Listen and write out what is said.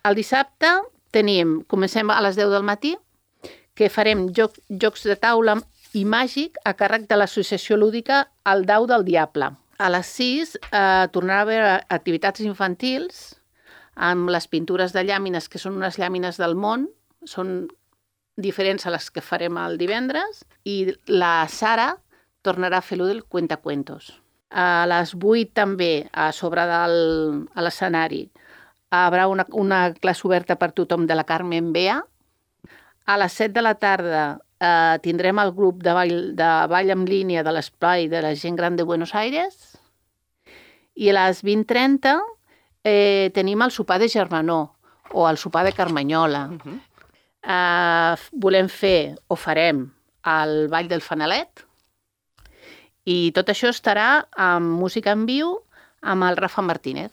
El dissabte comencem a les 10 del matí, que farem jocs de taula i màgic a càrrec de l'associació lúdica El Dau del Diable. A les 6 tornarà a haver activitats infantils amb les pintures de llàmines, que són unes llàmines del món, són diferents a les que farem el divendres, i la Sara tornarà a fer-lo del cuentacuentos. A les 8 també, a sobre a l'escenari, hi haurà una classe oberta per tothom de la Carmen Bea. A les 7 de la tarda tindrem el grup de ball en línia de l'Esplai de la gent gran de Buenos Aires. I a les 20:30 tenim el sopar de Germanor o el sopar de Carmanyola. Volem fer o farem el ball del Fanalet i tot això estarà amb música en viu amb el Rafa Martínez.